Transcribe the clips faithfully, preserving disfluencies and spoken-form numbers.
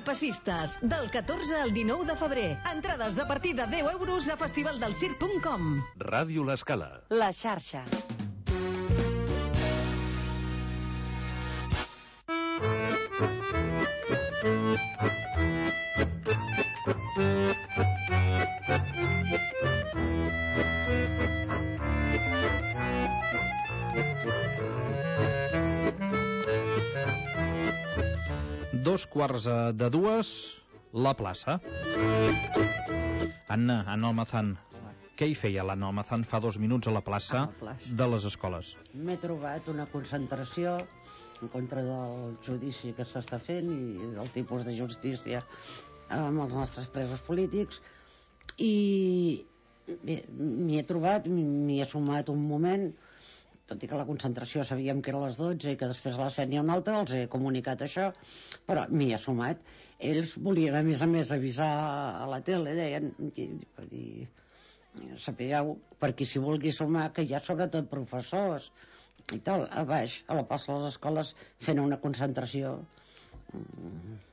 Passistes, del catorze al dinou de febrer. Entrades a partir de deu euros a festivaldelsirc punt com. Ràdio L'Escala. La xarxa. Dos quarts de dues, la plaça. Anna, Anna Almazán, què hi feia l'Anna Almazán fa dos minuts a la plaça, a la plaça. de les escoles? M'he trobat una concentració en contra del judici que s'està fent i del tipus de justícia amb els nostres presos polítics, i bé, m'hi he trobat, m'hi he sumat un moment, tot i que la concentració sabíem que era a les dotze i que després a les set n'hi ha una altra, els he comunicat això, però m'hi he sumat. Ells volien a més a més avisar a la tele, deien, i, i sapigueu, per qui s'hi vulgui sumar, que hi ha sobretot professors i tal, a baix, a la plaça de les escoles, fent una concentració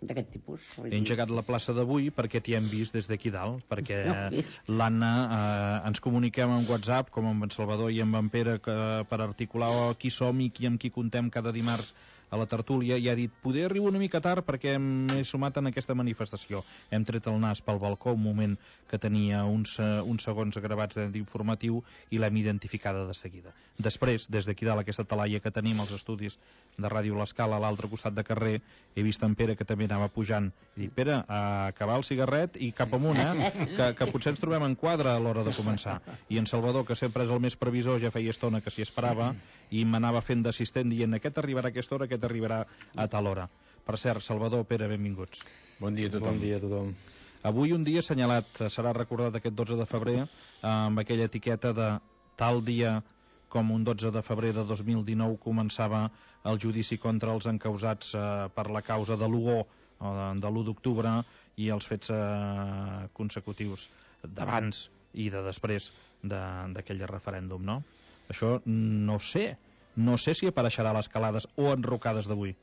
d'aquest tipus. He engegat la plaça d'avui perquè t'hi hem vist des d'aquí dalt, perquè no l'Anna eh, ens comuniquem en WhatsApp, com amb en Salvador i amb en Pere, que, per articular oh, qui som i qui amb qui contem cada dimarts a la tertúlia, i ha dit, poder arribar una mica tard perquè m'he sumat en aquesta manifestació. Hem tret el nas pel balcó un moment que tenia uns, uns segons gravats d'informatiu i l'hem identificada de seguida. Després, des d'aquí dalt, aquesta talaia que tenim als estudis de Ràdio L'Escala, a l'altre costat de carrer, he vist en Pere que també anava pujant, i dic, Pere, a acabar el cigarret i cap amunt, eh? que, que potser ens trobem en quadre a l'hora de començar. I en Salvador, que sempre és el més previsor, ja feia estona que s'hi esperava i m'anava fent d'assistent dient, aquest arribarà a aquesta hora, aquest arribarà a tal hora. Per cert, Salvador, Pere, benvinguts. Bon dia a tothom. Bon dia a tothom. Avui un dia assenyalat, serà recordat aquest dotze de febrer, amb aquella etiqueta de tal dia com un dotze de febrer de dos mil dinou començava el judici contra els encausats eh, per la causa de l'u o, de l'u d'octubre, i els fets eh, consecutius d'abans i de després d'aquell referèndum, no? Això no sé, no sé si apareixerà a les calades o enrocades d'avui.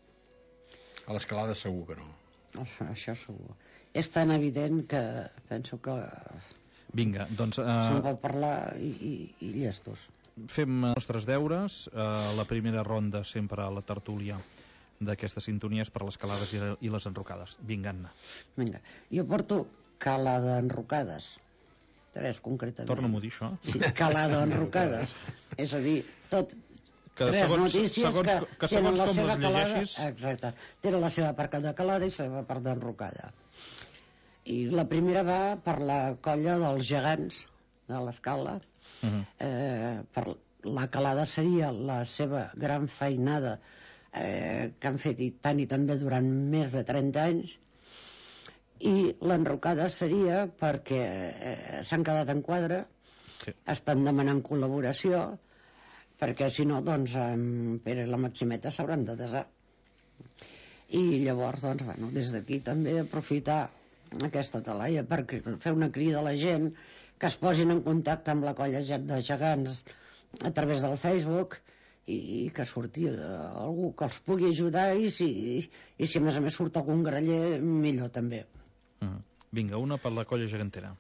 A les calades segur que no. Això segur. És tan evident que penso que Vinga, doncs... Uh... se'n pot parlar i, i, i llestos. Fem els nostres deures. Uh, la primera ronda sempre a la tertúlia d'aquestes sintonies per les calades i, i les enrocades. Vinga, Anna. Vinga, jo porto calada enrocades. Tres, concretament. Torna-m'ho a dir, això. Sí, calada enrocades. És a dir, tot... Que tres segons, notícies segons, que, que segons la com seva les calada, llegeixis... exacte, tenen la seva part de calada i la seva part d'enrocada. I la primera va per la colla dels gegants de l'Escala. Uh-huh. eh, per la calada seria la seva gran feinada eh, que han fet i tant i també durant més de trenta anys, i l'enrocada seria perquè eh, s'han quedat en quadre, sí. Estan demanant col·laboració, perquè si no, doncs, en Pere i la Maximeta s'hauran de desar. I llavors, doncs, bueno, des d'aquí també aprofitar aquesta talaia per fer una crida a la gent que es posin en contacte amb la colla de gegants a través del Facebook i, i que surti eh, algú que els pugui ajudar, i si, i si a més a més surt algun graller, millor també. Mm. Vinga, una per la colla gegantera.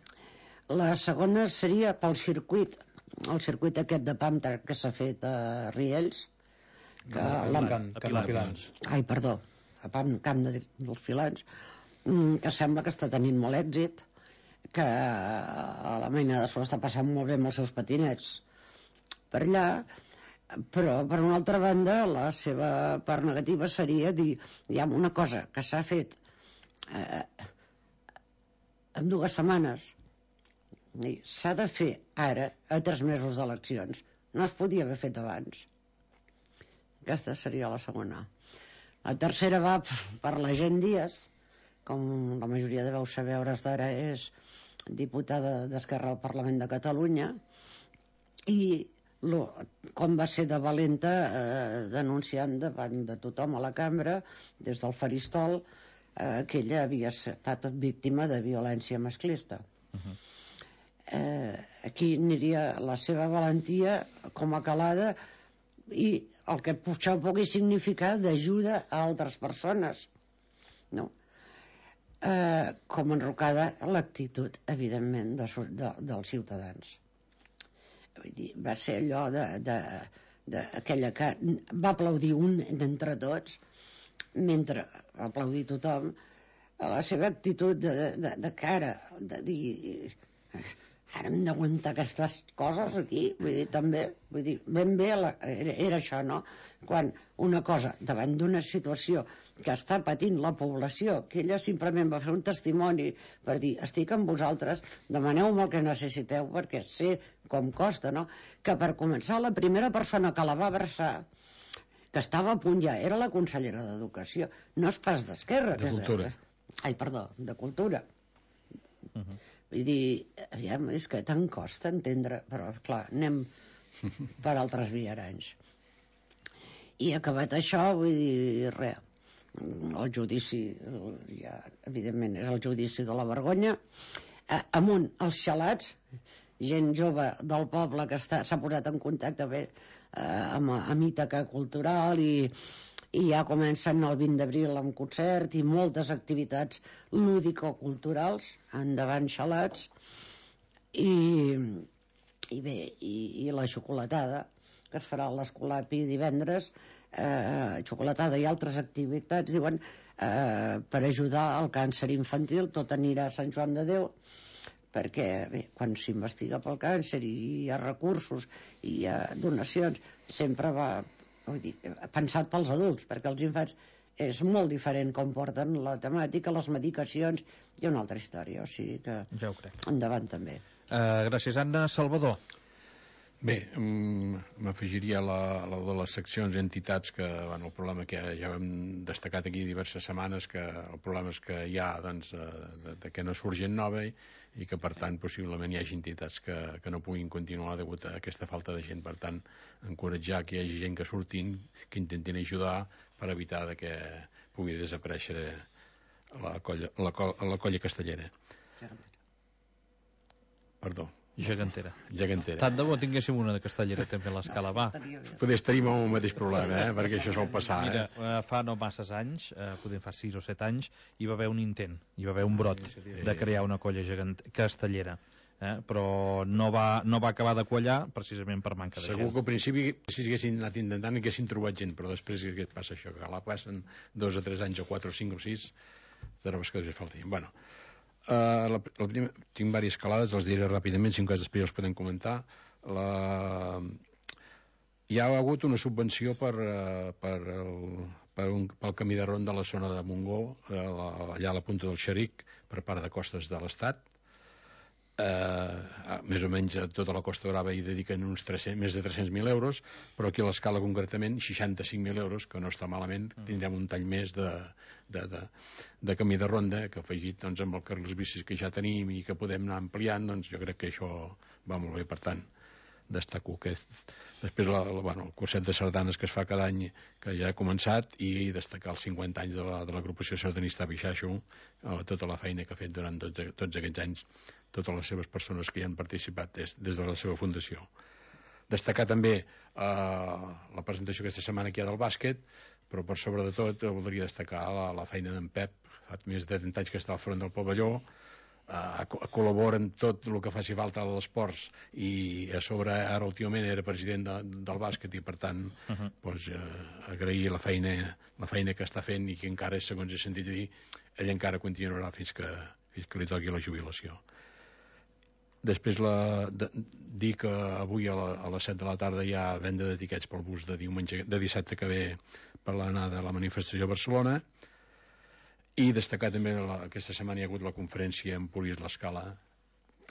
La segona seria pel circuit, el circuit aquest de Pamtar que s'ha fet a Riells, que no, la... Can, Can de Pilans. Ai, perdó, a Pam, Camp de, dels Pilans, que sembla que està tenint molt èxit, que a la Maina de Sol està passant molt bé amb els seus patinets per allà, però per una altra banda la seva part negativa seria dir, hi ha una cosa que s'ha fet eh, en dues setmanes, s'ha de fer ara a tres mesos d'eleccions, no es podia haver fet abans. Aquesta seria la segona. La tercera va per la Gent Díaz, com la majoria deveu saber, a hores d'ara és diputada d'Esquerra al Parlament de Catalunya, i lo, com va ser de valenta eh, denunciant davant de tothom a la cambra, des del faristol, eh, que ella havia estat víctima de violència masclista. Uh-huh. eh, aquí aniria la seva valentia com a calada, i el que això pugui significar d'ajuda a altres persones, no? eh, com enrocada l'actitud, evidentment, de, de, dels ciutadans. Vull dir, va ser allò de, de, de aquella que va aplaudir un d'entre tots, mentre va aplaudir tothom, a la seva actitud de, de, de cara, de dir... Ara hem d'aguantar aquestes coses aquí, vull dir, també, vull dir, ben bé la, era, era això, no? Quan una cosa, davant d'una situació que està patint la població, que ella simplement va fer un testimoni per dir, estic amb vosaltres, demaneu-me el que necessiteu, perquè sé com costa, no? Que per començar, la primera persona que la va abraçar, que estava a punt ja, era la consellera d'Educació, no és pas d'Esquerra. De Cultura. Ai, perdó, de Cultura. Uh-huh. Vull dir, aviam, és que tant costa entendre, però clar, anem per altres viaranys. I acabat això, vull dir, res, el judici, ja, evidentment, és el judici de la vergonya, eh, amunt els xalats, gent jove del poble que s'ha posat en contacte bé eh, amb, amb Ítaca Cultural i i ja comencen el vint d'abril amb concert i moltes activitats lúdico-culturals, endavant xalats, i, i bé, i, i la xocolatada, que es farà a l'Escolapi divendres, eh, xocolatada i altres activitats, diuen, eh, per ajudar al càncer infantil, tot anirà a Sant Joan de Déu, perquè bé, quan s'investiga pel càncer i hi ha recursos i hi ha donacions, sempre va... Vull dir, pensat pels adults, perquè els infants és molt diferent com porten la temàtica, les medicacions i una altra història, o sigui que ja ho crec. Endavant també. Uh, gràcies, Anna. Salvador. Bé, m'afegiria a la, la de les seccions i entitats que, bueno, el problema que ja hem destacat aquí diverses setmanes, que el problema és que hi ha, doncs, de, de que no surt gent nova i, i que, per tant, possiblement hi hagi entitats que, que no puguin continuar degut a aquesta falta de gent. Per tant, encoratjar que hi hagi gent que surtin, que intentin ajudar per evitar de que pugui desaparèixer la colla, la, la colla castellera. Perdó. Gegantera. Gegantera. Tant de bo tinguéssim una de castellera també a l'escala, va. Poder estaríem amb el mateix problema, eh? Perquè això sol passar. Mira, eh? fa no masses anys, eh, potser fa sis o set anys, hi va haver un intent, hi va haver un brot de crear una colla gegant... castellera, eh? Però no va, no va acabar de quallar precisament per manca de Segur gent. que al principi, si haguessin anat intentant, haguessin trobat gent, però després què et passa això? Que la passen dos o tres anys, o quatre o cinc o sis, trobes que els falta. Bueno, Uh, la, la primer, tinc diverses escalades, els diré ràpidament, si en cas després els podem comentar. La... Hi ha hagut una subvenció per, uh, per, el, per un, pel camí de ronda a la zona de Montgó, uh, allà a la punta del Xeric, per part de Costes de l'Estat. Uh, més o menys a tota la Costa Brava hi dediquen uns tres-cents, més de tres-cents mil euros, però aquí a l'escala concretament seixanta-cinc mil euros, que no està malament. Tindrem un tall més de, de, de, de camí de ronda, que afegit doncs, amb el carrils bicis que ja tenim i que podem anar ampliant, doncs jo crec que això va molt bé. Per tant, destaco aquest. Després la, la, bueno, el curset de sardanes que es fa cada any, que ja ha començat, i destacar els cinquanta anys de la, de l'agrupació sardanista Bixaixo, eh, tota la feina que ha fet durant tots, tots aquests anys, totes les seves persones que hi han participat des, des de la seva fundació. Destacar també eh, la presentació aquesta setmana que hi ha del bàsquet, però per sobre de tot voldria destacar la, la feina d'en Pep. Fa més de trenta anys que està al front del pavelló, Uh, col·labora en tot el que faci falta a l'esports, i a sobre ara últimament era president de, del bàsquet, i per tant uh -huh. doncs, uh, agrair la feina la feina que està fent, i que encara, segons he sentit dir, ell encara continuarà fins que, fins que li toqui la jubilació. Després la, de, dir que avui a, la, a les set de la tarda hi ha venda de tiquets pel bus de diumenge, de dissabte que ve, per l'anada de la manifestació a Barcelona. I destacar també la, aquesta setmana hi ha hagut la conferència en Polis l'Escala,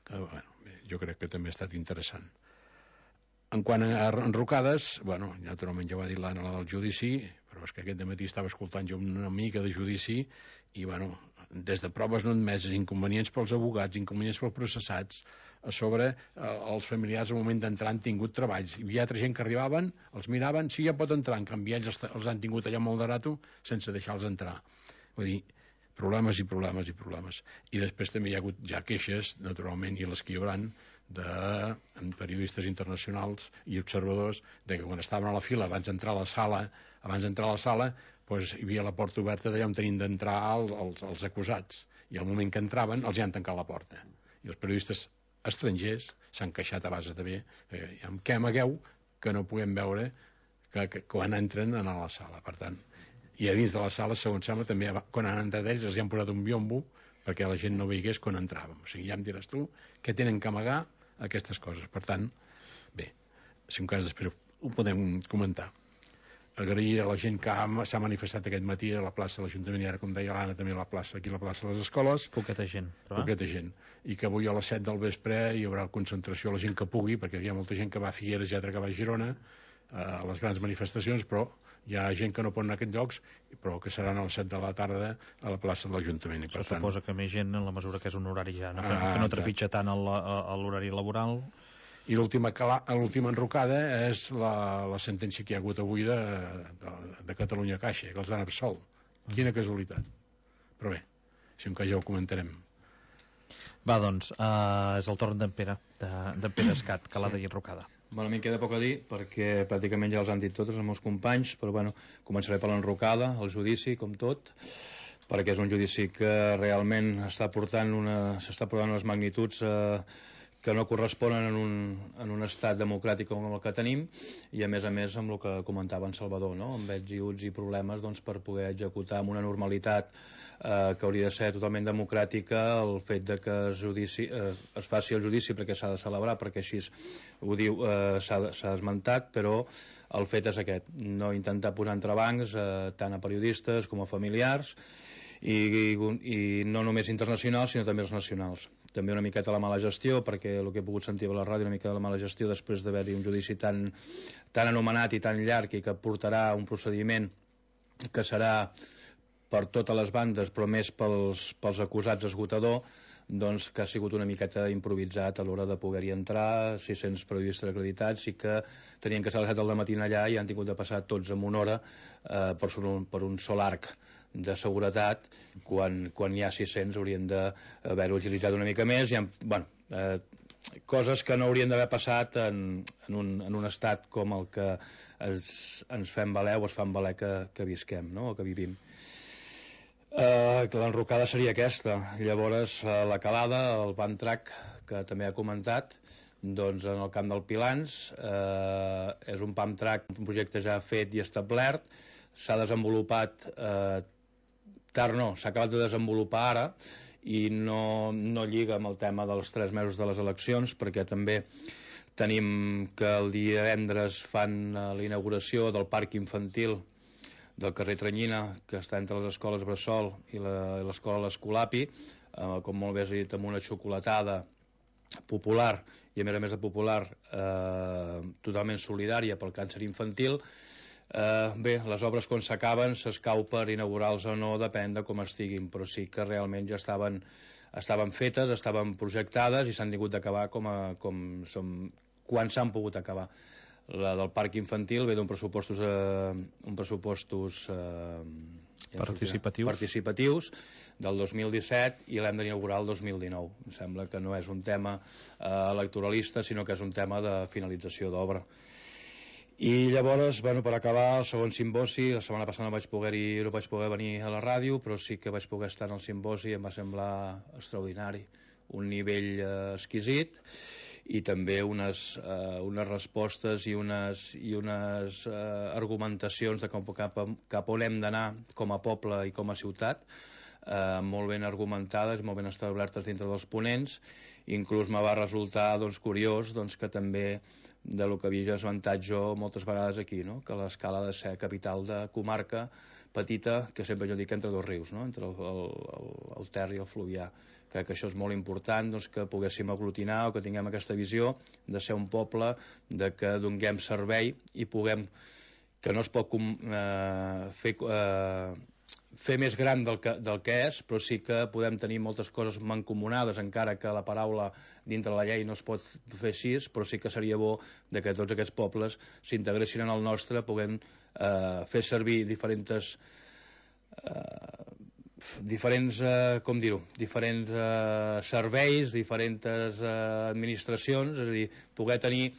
que bueno, jo crec que també ha estat interessant. En quant a enrocades, bueno, naturalment ja ho ha dit l'Anna, la del judici, però és que aquest dematí estava escoltant jo una mica de judici, i bueno, des de proves no admeses, inconvenients pels abogats, inconvenients pels processats, a sobre eh, els familiars al moment d'entrar han tingut treballs, hi havia altra gent que arribaven, els miraven, sí, ja pot entrar, en canvi ells els, els han tingut allà molt de rato sense deixar-los entrar. Vull dir, problemes i problemes i problemes. I després també hi ha hagut ja queixes, naturalment, i les que hi haurà, de periodistes internacionals i observadors, de que quan estaven a la fila abans d'entrar a la sala, abans d'entrar a la sala, doncs hi havia la porta oberta d'allà on tenien d'entrar els, els, els acusats, i al moment que entraven els hi han tancat la porta, i els periodistes estrangers s'han queixat a base de bé, eh, amb què amagueu que no puguem veure que, que quan entren a la sala. Per tant, i a dins de la sala, segons sembla, també quan han entrat ells els hi han posat un biombo perquè la gent no veigués quan entràvem. O sigui, ja em diràs tu què tenen que amagar aquestes coses. Per tant, bé, si un cas després ho podem comentar. Agrair a la gent que s'ha manifestat aquest matí a la plaça de l'Ajuntament, i ara, com deia l'Anna, també a la plaça, aquí a la plaça de les escoles. Poqueta gent. Però... Poqueta gent. I que avui a les set del vespre hi haurà concentració a la gent que pugui, perquè hi ha molta gent que va a Figueres i altra que va a Girona, a les grans manifestacions, però hi ha gent que no pot anar a aquests llocs, però que seran a les set de la tarda a la plaça de l'Ajuntament. Això suposa que més gent, en la mesura que és un horari ja, no? que, que no trepitja tant l'horari laboral. I l'última enrocada és la, la sentència que hi ha hagut avui de, de, de Catalunya Caixa, que els han absolt. Quina casualitat. Però bé, si un cas ja ho comentarem. Va, doncs, uh, és el torn d'en Pere, d'en Pere Escat, que l'ha de enrocada. Bueno, a mi em queda poc a dir, perquè pràcticament ja els han dit tots els meus companys, però bueno, començaré per l'enrocada, el judici, com tot, perquè és un judici que realment està portant una, s'està portant unes magnituds eh, que no corresponen en un, en un estat democràtic com el que tenim, i a més a més amb el que comentava en Salvador, no? amb vets i uts i problemes doncs, per poder executar amb una normalitat eh, que hauria de ser totalment democràtica el fet de que es, judici, eh, es faci el judici perquè s'ha de celebrar, perquè així ho diu, eh, s'ha esmentat, però el fet és aquest, no intentar posar entrebancs eh, tant a periodistes com a familiars, i, i, i no només internacionals sinó també els nacionals. També una miqueta la mala gestió, perquè el que he pogut sentir a la ràdio, una mica de la mala gestió després d'haver-hi un judici tan, tan anomenat i tan llarg i que portarà un procediment que serà per totes les bandes però més pels, pels acusats esgotador, doncs que ha sigut una miqueta improvisat a l'hora de poder-hi entrar, sis-cents periodistes acreditats, i que tenien que ser a les set del matí allà i han tingut de passar tots en una hora eh, per, un, per un sol arc de seguretat, quan, quan hi ha sis-cents haurien d'haver-ho agilitzat una mica més. Hi ha, bueno, eh, coses que no haurien d'haver passat en, en, un, en un estat com el que es, ens fem valer o es fan valer que, que visquem, no? O que vivim. Uh, l'enrocada seria aquesta. Llavors uh, la calada, el van track que també ha comentat, doncs en el camp del Pilans uh, és un pump track, un projecte ja fet i establert, s'ha desenvolupat uh, tard no, s'ha acabat de desenvolupar ara i no, no lliga amb el tema dels tres mesos de les eleccions, perquè també tenim que el divendres fan uh, la inauguració del parc infantil del carrer Tranyina, que està entre les escoles Bressol i l'escola L'Escolapi, eh, com molt bé has dit, amb una xocolatada popular, i a més a més de popular, eh, totalment solidària pel càncer infantil. Eh, bé, les obres quan s'acaben s'escau per inaugurar-los o no, depèn de com estiguin, però sí que realment ja estaven, estaven fetes, estaven projectades i s'han tingut d'acabar com, a, com som, quan s'han pogut acabar. La del parc infantil ve d'un pressupostos, eh, un pressupostos eh, participatius. participatius del dos mil disset i l'hem d'inaugurar el dos mil dinou. Em sembla que no és un tema eh, electoralista, sinó que és un tema de finalització d'obra. I llavors, bueno, per acabar, el segon simbosi, la setmana passada no vaig poder ir, no vaig poder venir a la ràdio, però sí que vaig poder estar en el simbosi i em va semblar extraordinari, un nivell eh, exquisit, i també unes, eh, unes respostes i unes, i unes eh, argumentacions de com, cap, cap on hem d'anar com a poble i com a ciutat, eh, molt ben argumentades, molt ben establertes dintre dels ponents. Inclús me va resultar doncs, curiós doncs, que també de lo que havia esmentat jo moltes vegades aquí, no? Que l'escala ha de ser capital de comarca petita, que sempre jo dic entre dos rius, no? Entre el, el, el Ter i el Fluvià. Crec que això és molt important, doncs, que poguéssim aglutinar o que tinguem aquesta visió de ser un poble, de que donem servei i puguem, que no es pot eh, fer, eh, fer més gran del que, del que és, però sí que podem tenir moltes coses mancomunades, encara que la paraula dintre la llei no es pot fer així, però sí que seria bo de que tots aquests pobles s'integressin en el nostre, puguem eh, fer servir diferents eh, diferents, eh, com dir-ho, diferents eh, serveis, diferents eh, administracions, és a dir, poder tenir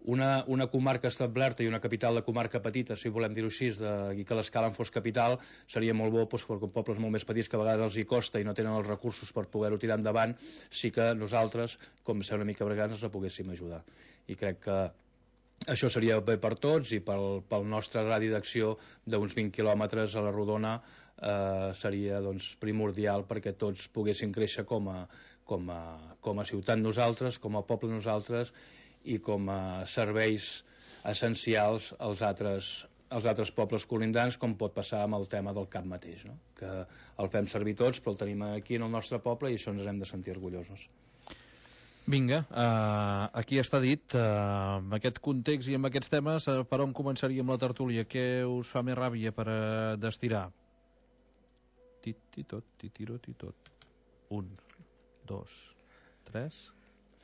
una, una comarca establerta i una capital de comarca petita, si volem dir-ho així, de, i que l'escala en fos capital, seria molt bo, doncs, perquè pobles molt més petits que a vegades els hi costa i no tenen els recursos per poder-ho tirar endavant, sí que nosaltres, com ser una mica bregants, ens la poguéssim ajudar. I crec que això seria bé per tots, i pel, pel nostre radi d'acció d'uns vint quilòmetres a la rodona eh, seria doncs, primordial perquè tots poguessin créixer com a, com a, com a ciutat nosaltres, com a poble nosaltres, i com a serveis essencials als altres, als altres pobles colindants, com pot passar amb el tema del camp mateix, no? Que el fem servir tots, però el tenim aquí en el nostre poble i això ens hem de sentir orgullosos. Vinga, uh, aquí està dit, uh, amb aquest context i amb aquests temes, uh, per on començaríem la tertúlia? Què us fa més ràbia per uh, destirar? Tit-ti-tot, titiro, titot. Un, dos, tres...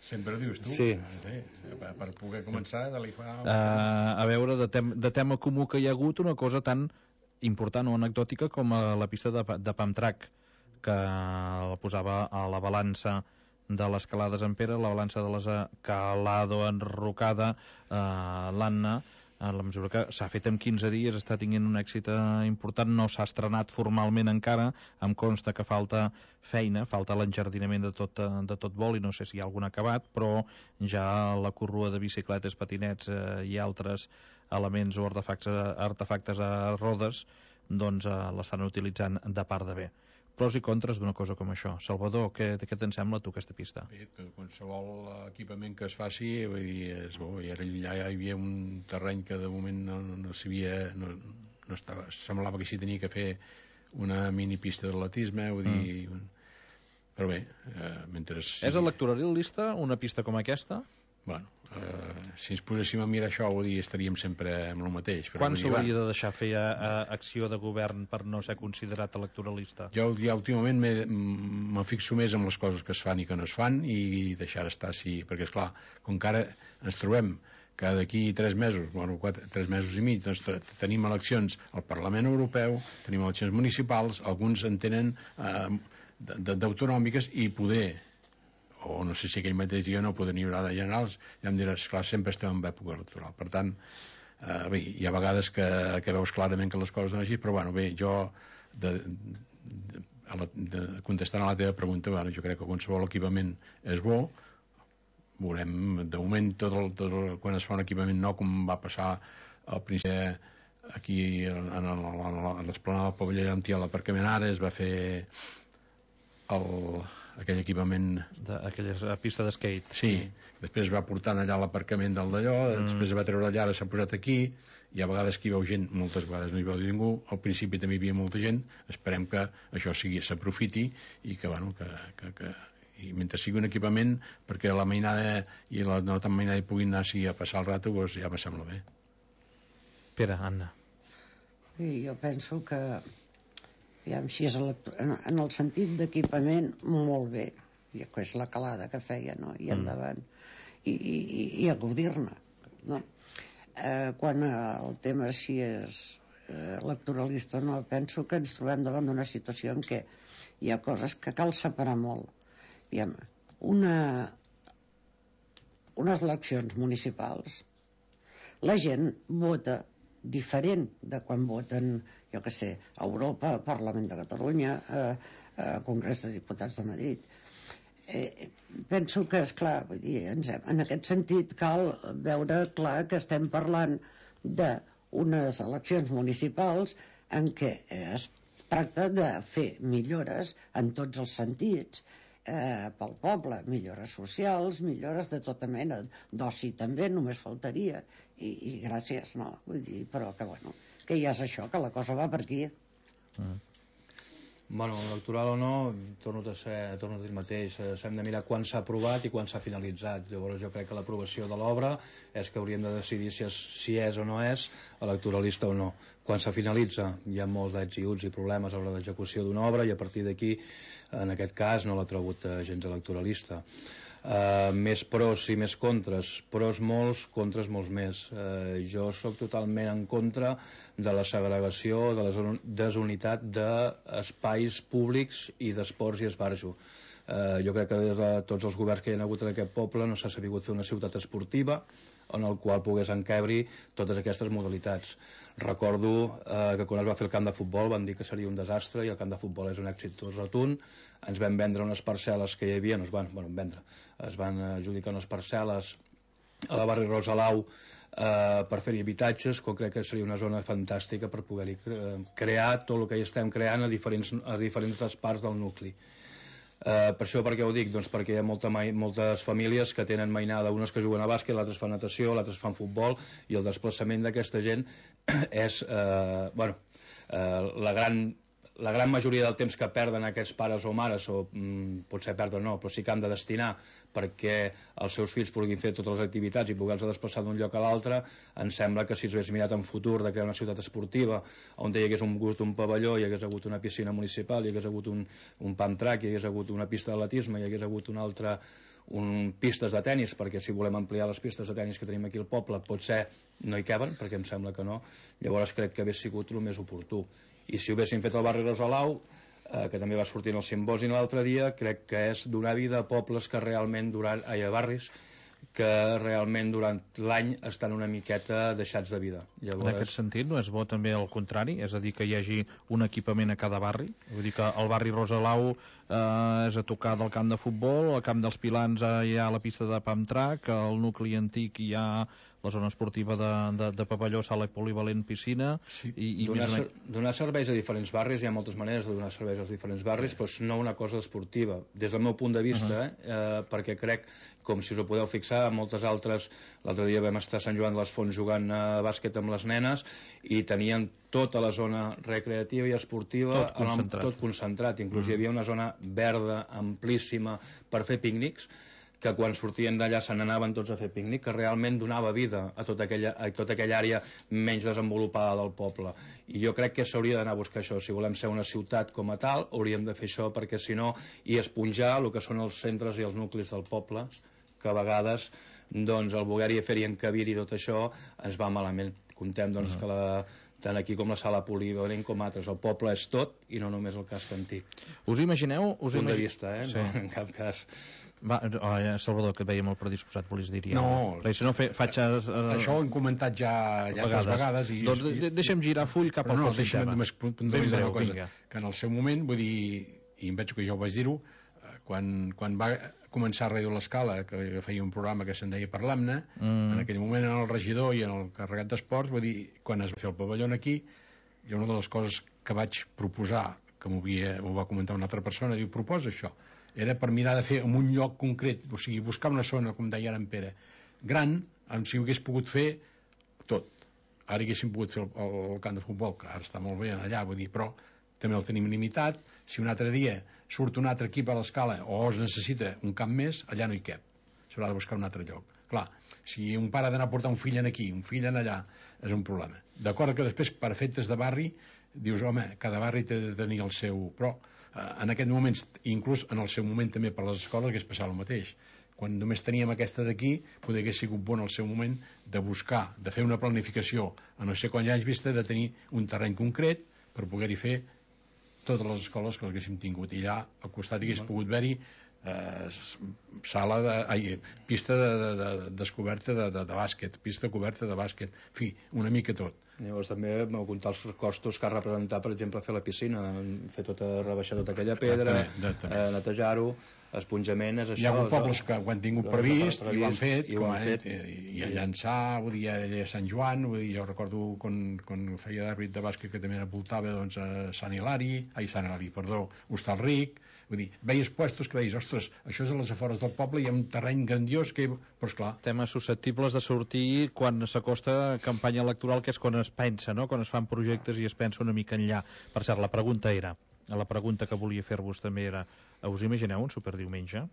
Sempre dius tu. Sí. Sí, per, per poder començar a fa... Uh, a veure, de, tem de tema comú que hi ha hagut, una cosa tan important o anecdòtica com a la pista de, de Pamtrac, que la posava a la balança de l'escalada Sant Pere, la balança de l'escalada enrocada, uh, l'Anna, a la mesura que s'ha fet en quinze dies, està tinguent un èxit important, no s'ha estrenat formalment encara, em consta que falta feina, falta l'enjardinament de tot, de tot vol, i no sé si hi ha algun acabat, però ja la corrua de bicicletes, patinets eh, i altres elements o artefactes, artefactes a rodes, doncs eh, l'estan utilitzant de part de bé. Pros i contres d'una cosa com això. Salvador, què, què te'n sembla tu aquesta pista? Bé, qualsevol equipament que es faci, vull dir, és bo, i ara ja hi havia un terreny que de moment no, no, no sabia, no, no estava, semblava que s'hi tenia que fer una mini pista d'atletisme, vull dir, mm. però bé, eh, mentre sigui... És electoralista una pista com aquesta? Bueno, eh, si ens poséssim a mirar això, vull dir, estaríem sempre amb el mateix. Però quan s'hauria de deixar fer a, a acció de govern per no ser considerat electoralista? Jo ja últimament me fixo més en les coses que es fan i que no es fan i deixar estar així, perquè esclar, com que ara ens trobem que d'aquí tres mesos, bueno, quatre, tres mesos i mig, doncs tenim eleccions al Parlament Europeu, tenim eleccions municipals, alguns en tenen eh, d'autonòmiques i poder, o no sé si aquell mateix dia no poden hi haurà de generals, ja em diràs, clar, sempre estem en època electoral. Per tant, eh, bé, hi ha vegades que, que veus clarament que les coses són així, però bueno, bé, jo de, de, a la, de, contestant a la teva pregunta, bueno, jo crec que qualsevol equipament és bo, veurem, de moment tot el, tot el, quan es fa un equipament nou, com va passar al principi aquí en l'esplanada del pavelló Llantí, a l'aparcament ara es va fer el aquell equipament... De, aquella pista d'skate. Sí, després va portant allà l'aparcament del d'allò, mm. després va treure allà, ara s'ha posat aquí, i a vegades que hi veu gent, moltes vegades no hi veu ningú, al principi també hi havia molta gent, esperem que això sigui s'aprofiti i que, bueno, que, que, que i mentre sigui un equipament perquè la mainada i la no tan mainada hi puguin anar així a passar el rato, doncs ja me sembla bé. Pere, Anna. Sí, jo penso que aviam, si és en, en el sentit d'equipament, molt bé, i que és la calada que feia, no? I endavant, i, i, i a gaudir-ne, no? Eh, quan el tema si és eh, electoralista o no, penso que ens trobem davant d'una situació en què hi ha coses que cal separar molt. Aviam, una, unes eleccions municipals, la gent vota diferent de quan voten, jo que sé, a Europa, Parlament de Catalunya, eh, eh, Congrés de Diputats de Madrid. Eh, penso que, esclar, vull dir, ens hem, en aquest sentit cal veure clar que estem parlant d'unes eleccions municipals en què es tracta de fer millores en tots els sentits, eh, pel poble, millores socials, millores de tota mena, d'oci també, només faltaria, i, i gràcies, no? Vull dir, però que, bueno, que ja és això, que la cosa va per aquí. Mm. Bueno, electoral o no, torno a ser, torno a dir el mateix, s'hem de mirar quan s'ha aprovat i quan s'ha finalitzat. Llavors jo crec que l'aprovació de l'obra és que hauríem de decidir si és, si és o no és electoralista o no. quan se finalitza hi ha molts ets i uts i problemes a l'hora d'execució d'una obra, i a partir d'aquí, en aquest cas, no l'ha tregut gens electoralista. Uh, més pros i més contres, pros molts, contres molts més. Uh, jo sóc totalment en contra de la segregació, de la desunitat d'espais públics i d'esports i esbarjo. Uh, jo crec que des de tots els governs que hi ha hagut en aquest poble no s'ha sabut fer una ciutat esportiva en el qual pogués encabrir totes aquestes modalitats. Recordo eh, que quan es va fer el camp de futbol van dir que seria un desastre, i el camp de futbol és un èxit rotund. Ens van vendre unes parcel·les que hi havia, no es van, bueno, vendre, es van adjudicar unes parcel·les a la barri Rosalau eh, per fer-hi habitatges, que crec que seria una zona fantàstica per poder-hi crear tot el que hi estem creant a diferents, a diferents parts del nucli. Uh, per això per què ho dic? Doncs perquè hi ha molta mai, moltes famílies que tenen mainada, unes que juguen a bàsquet, l'altres fan natació, l'altres fan futbol, i el desplaçament d'aquesta gent és uh, bueno, uh, la gran la gran majoria del temps que perden aquests pares o mares, o mm, potser perden no, però sí que han de destinar perquè els seus fills puguin fer totes les activitats i poder-se desplaçar d'un lloc a l'altre. Em sembla que si s'hagués mirat en futur de crear una ciutat esportiva on hi hagués un, un pavelló, hi hagués hagut una piscina municipal, hi hagués hagut un, un pump track, hi hagués hagut una pista d'atletisme, hi hagués hagut una altra un, pistes de tennis, perquè si volem ampliar les pistes de tennis que tenim aquí al poble potser no hi caben, perquè em sembla que no. Llavors crec que hauria sigut el més oportú. I si ho haguéssim fet al barri Rosalau, eh, que també va sortir en el simposi l'altre dia, crec que és donar vida a pobles que realment durant, ai, a barris que realment durant l'any estan una miqueta deixats de vida. Llavors... En aquest sentit, no és bo també el contrari? És a dir, que hi hagi un equipament a cada barri? Vull dir que el barri Rosalau eh, és a tocar del camp de futbol, al camp dels Pilans hi ha la pista de pump track, al nucli antic hi ha la zona esportiva de, de, de pavelló, sala polivalent, piscina... Sí. I, i donar, més ser, donar serveis a diferents barris, hi ha moltes maneres de donar serveis als diferents barris, sí. Però no una cosa esportiva. Des del meu punt de vista, uh -huh. eh, eh, perquè crec, com si us ho podeu fixar, moltes altres... L'altre dia vam estar a Sant Joan de les Fonts jugant a bàsquet amb les nenes i tenien tota la zona recreativa i esportiva tot concentrat, tot concentrat. Inclús uh -huh. hi havia una zona verda, amplíssima, per fer pícnics, que quan sortien d'allà se n'anaven tots a fer pícnic, que realment donava vida a tota aquella, a tota aquella àrea menys desenvolupada del poble. I jo crec que s'hauria d'anar a buscar això. Si volem ser una ciutat com a tal, hauríem de fer això, perquè si no, i esponjar el que són els centres i els nuclis del poble, que a vegades doncs, el voler-hi fer-hi encabir-hi tot això ens va malament. Contem doncs, uh -huh. que la tant aquí com la sala polivalent com altres. El poble és tot i no només el casc antic. Us imagineu? Us punt imagi... de vista, eh? Sí. No, en cap cas... Va, oh, Salvador, que et veia molt predisposat, volies dir ja. No, perquè si no fe, faig... Uh, això ho hem comentat ja, ja altres vegades. I, doncs de, de, deixa'm girar full cap al no, proper tema. No, deixa'm només puntualitzar una cosa, vinga. Que en el seu moment, vull dir, i em veig que jo vaig dir-ho, quan, quan va començar a Ràdio l'Escala, que feia un programa que se'n deia Parlam-ne, mm. en aquell moment en el regidor i en el carregat d'esports, vull dir, quan es va fer el pavelló aquí, i una de les coses que vaig proposar, que m'ho va comentar una altra persona, diu, proposa això, era per mirar de fer en un lloc concret, o sigui, buscar una zona, com deia ara en Pere, gran, amb si ho hagués pogut fer tot. Ara haguéssim pogut fer el, el, el camp de futbol, que ara està molt bé allà, vull dir, però també el tenim limitat. Si un altre dia surt un altre equip a l'Escala o es necessita un camp més, allà no hi cap, s'haurà de buscar un altre lloc. Clar, si un pare ha d'anar a portar un fill en aquí, un fill en allà, és un problema. D'acord que després, per efectes de barri, dius, home, cada barri té de tenir el seu... Però en aquest moment, inclús en el seu moment també per les escoles, hagués passat el mateix. Quan només teníem aquesta d'aquí, potser hagués sigut bon al seu moment de buscar, de fer una planificació a no sé quants anys vista, de tenir un terreny concret per poder-hi fer totes les escoles que haguéssim tingut. I allà al costat hagués pogut haver-hi eh, sala de, ai, pista de, de, de, descoberta de, de, de bàsquet, pista coberta de bàsquet, en fi, una mica tot. Llavors també m'ho comptar els costos que ha representat, per exemple, fer la piscina, fer tota, rebaixar tota aquella pedra, eh, netejar-ho, esponjament, és això. Hi ha hagut pobles que ho han tingut previst, previst i ho han fet, i, ho han fet. I, i a Llançà, vull dir, a Sant Joan, vull dir, jo recordo quan, quan feia d'àrbit de bàsquet que també voltava doncs, a Sant Hilari, ai, Sant Hilari, perdó, Hostalric, vull dir, veies puestos que deies, ostres, això és a les afores del poble, hi ha un terreny grandiós que... Però esclar... Temes susceptibles de sortir quan s'acosta campanya electoral, que és quan es pensa, no? Quan es fan projectes i es pensa una mica enllà. Per cert, la pregunta era, la pregunta que volia fer-vos també era, us imagineu un superdiumenge?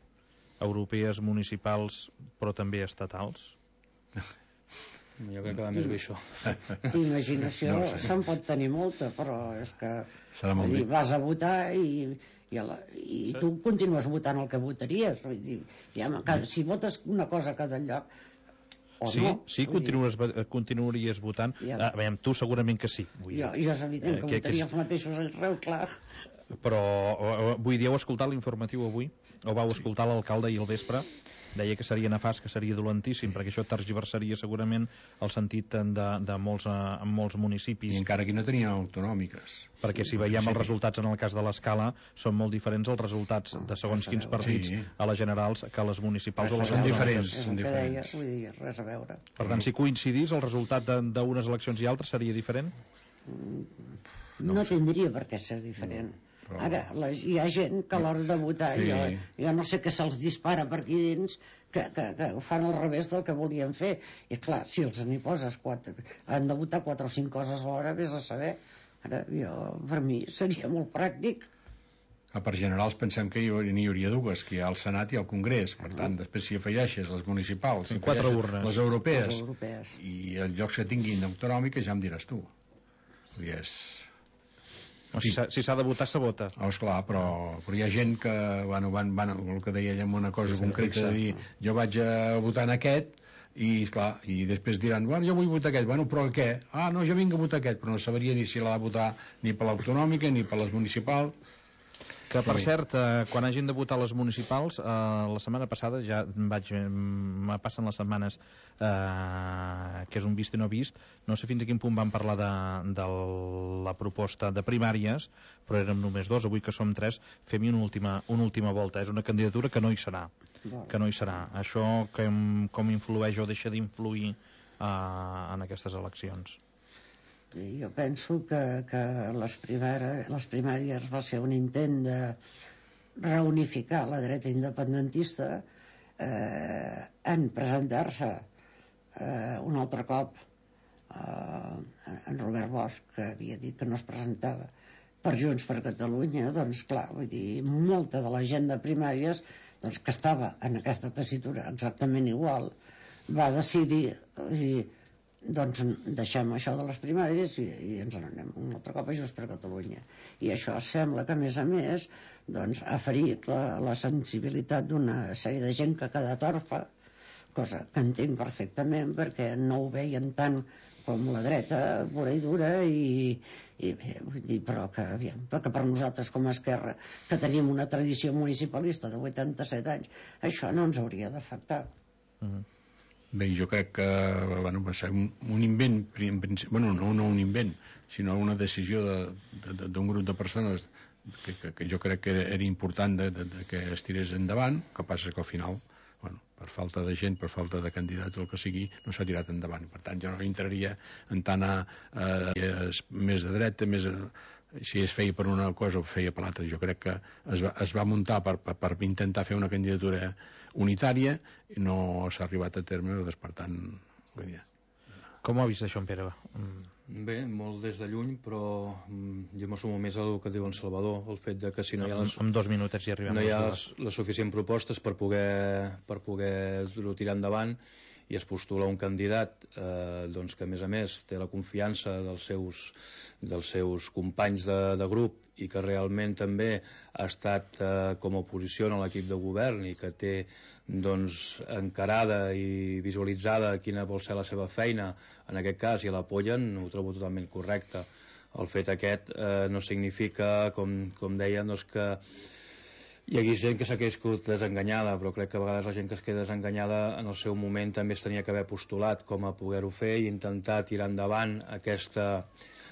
Europees, municipals, però també estatals? Jo crec que va més bé això. D'imaginació no, sí. Se'n pot tenir molta, però és que dir, vas a votar i, i, a la, i sí. Tu continues votant el que votaries. Vull dir, ja, cada, si votes una cosa a cada lloc, o sí, no. Sí, continues, continuaries votant. Ja. A veure, tu segurament que sí. Vull jo, jo és evident que, que votaria que... els mateixos arreu, clar. Però, vull dir, heu escoltat l'informatiu avui? O vau escoltar l'alcalde ahir al vespre? Deia que seria nefast, que seria dolentíssim, perquè això tergiversaria segurament el sentit de, de molts, en molts municipis. I encara que no tenien autonòmiques. Perquè si veiem els resultats en el cas de l'Escala, són molt diferents els resultats de segons quins partits sí. A les generals que a les municipals o les són diferents. Són diferents. Vull dir, res a veure. Per tant, si coincidís, el resultat d'unes eleccions i altres seria diferent? No, no tindria per què ser diferent. No. Però... Ara, la, hi ha gent que a l'hora de votar sí. jo, jo no sé què se'ls dispara per aquí dins que, que, que ho fan al revés del que volien fer i clar, si els n'hi poses quatre, han de votar quatre o cinc coses a l'hora, vés a saber. Ara, jo, per mi seria molt pràctic. Ah, per generals pensem que n'hi hauria dues, que hi ha el Senat i el Congrés, per tant, després si afegeixes les municipals, si quatre urnes, les europees, les europees i els llocs que tinguin autonòmiques ja em diràs tu. I és... O si s'ha si de votar, se vota. Oh, esclar, però, però hi ha gent que bueno, van, van, el que deia ella en una cosa sí, concreta, de dir, jo vaig a votar en aquest, i esclar, i després diran, bueno, jo vull votar aquest, bueno, però què? Ah, no, jo vinc a votar aquest, però no sabria dir si l'ha de votar ni per l'autonòmica ni per les municipals. Que, per cert, eh, quan hagin de votar les municipals, eh, la setmana passada, ja vaig, me passen les setmanes, eh, que és un vist i no vist, no sé fins a quin punt van parlar de, de la proposta de primàries, però érem només dos, avui que som tres, fem-hi una última, una última volta. És una candidatura que no hi serà, que no hi serà. Això que, com influeix o deixa d'influir eh, en aquestes eleccions? Jo penso que, que les, primera, les primàries va ser un intent de reunificar la dreta independentista eh, en presentar-se eh, un altre cop eh, en Robert Bosch, que havia dit que no es presentava per Junts per Catalunya. Doncs clar, vull dir, molta de la gent de primàries doncs, que estava en aquesta tessitura exactament igual va decidir i doncs deixem això de les primàries i, i ens n'anem un altre cop a Junts per Catalunya. I això sembla que a més a més doncs, ha ferit la, la sensibilitat d'una sèrie de gent que ha quedat orfa, cosa que entenc perfectament perquè no ho veien tant com la dreta pura i dura i, i bé, vull dir, però que, aviam, perquè per nosaltres com a Esquerra que tenim una tradició municipalista de vuitanta-set anys, això no ens hauria d'afectar. Mm-hmm. Bé, jo crec que bueno, va ser un, un invent, bueno, no, no un invent, sinó una decisió d'un de, de, grup de persones que, que, que jo crec que era, era important de, de, de que es tirés endavant, que passa que al final, bueno, per falta de gent, per falta de candidats, el que sigui, no s'ha tirat endavant. Per tant, jo no entraria en tant a, a, a més de dreta, més a, si es feia per una cosa o feia per l'altra. Jo crec que es va, es va muntar per, per, per intentar fer una candidatura unitària i no s'ha arribat a terme, doncs, per tant, vull dir... Com ho ha vist això, en Pere? Mm. Bé, molt des de lluny, però mm, jo m'assumo més el que diu en Salvador, el fet de que si no hi ha les, en dos minuts ja arribem no hi ha les, les suficients propostes per poder, per poder tirar endavant i es postula un candidat eh, doncs que a més a més té la confiança dels seus, dels seus companys de, de grup i que realment també ha estat eh, com a oposició en l'equip de govern i que té doncs, encarada i visualitzada quina vol ser la seva feina en aquest cas i l'apoyen, ho trobo totalment correcte. El fet aquest eh, no significa, com, com deien, doncs que hi ha gent que s'ha quedat desenganyada, però crec que a vegades la gent que es queda desenganyada en el seu moment també es tenia que haver postulat com a poder-ho fer i intentar tirar endavant aquesta,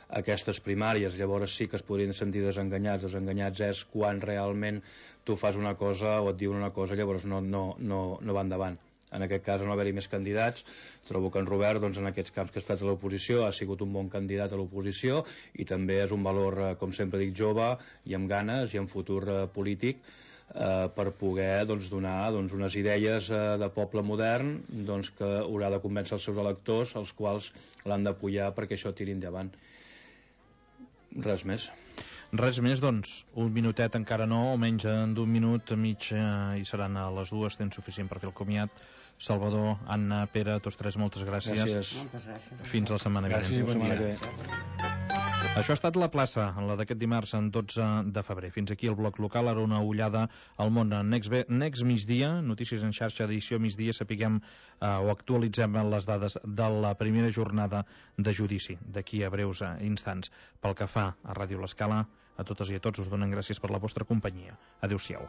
aquestes primàries. Llavors sí que es podrien sentir desenganyats. Desenganyats és quan realment tu fas una cosa o et diuen una cosa, llavors no, no, no, no va endavant. En aquest cas no haver-hi més candidats, trobo que en Robert doncs, en aquests camps que ha estat a l'oposició ha sigut un bon candidat a l'oposició i també és un valor, com sempre dic, jove i amb ganes i amb futur eh, polític eh, per poder doncs, donar doncs, unes idees eh, de poble modern doncs, que haurà de convèncer els seus electors, els quals l'han d'apoyar perquè això tiri endavant. Res més. Res més, doncs, un minutet encara no, o menys d'un minut, mig, eh, i seran a les dues, temps suficient per fer el comiat. Salvador, Anna, Pere, tots tres, moltes gràcies. Gràcies. Moltes gràcies. Fins la setmana vinent. Gràcies, bon dia. Això ha estat La Plaça, en la d'aquest dimarts, en dotze de febrer. Fins aquí el bloc local, ara una ullada al món. Next, next migdia, notícies en xarxa, edició migdia, sapiguem eh, o actualitzem les dades de la primera jornada de judici, d'aquí a breus eh, instants. Pel que fa a Ràdio L'Escala, a totes i a tots us donen gràcies per la vostra companyia. Adéu-siau.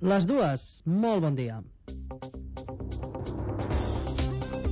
Les dues, molt bon dia.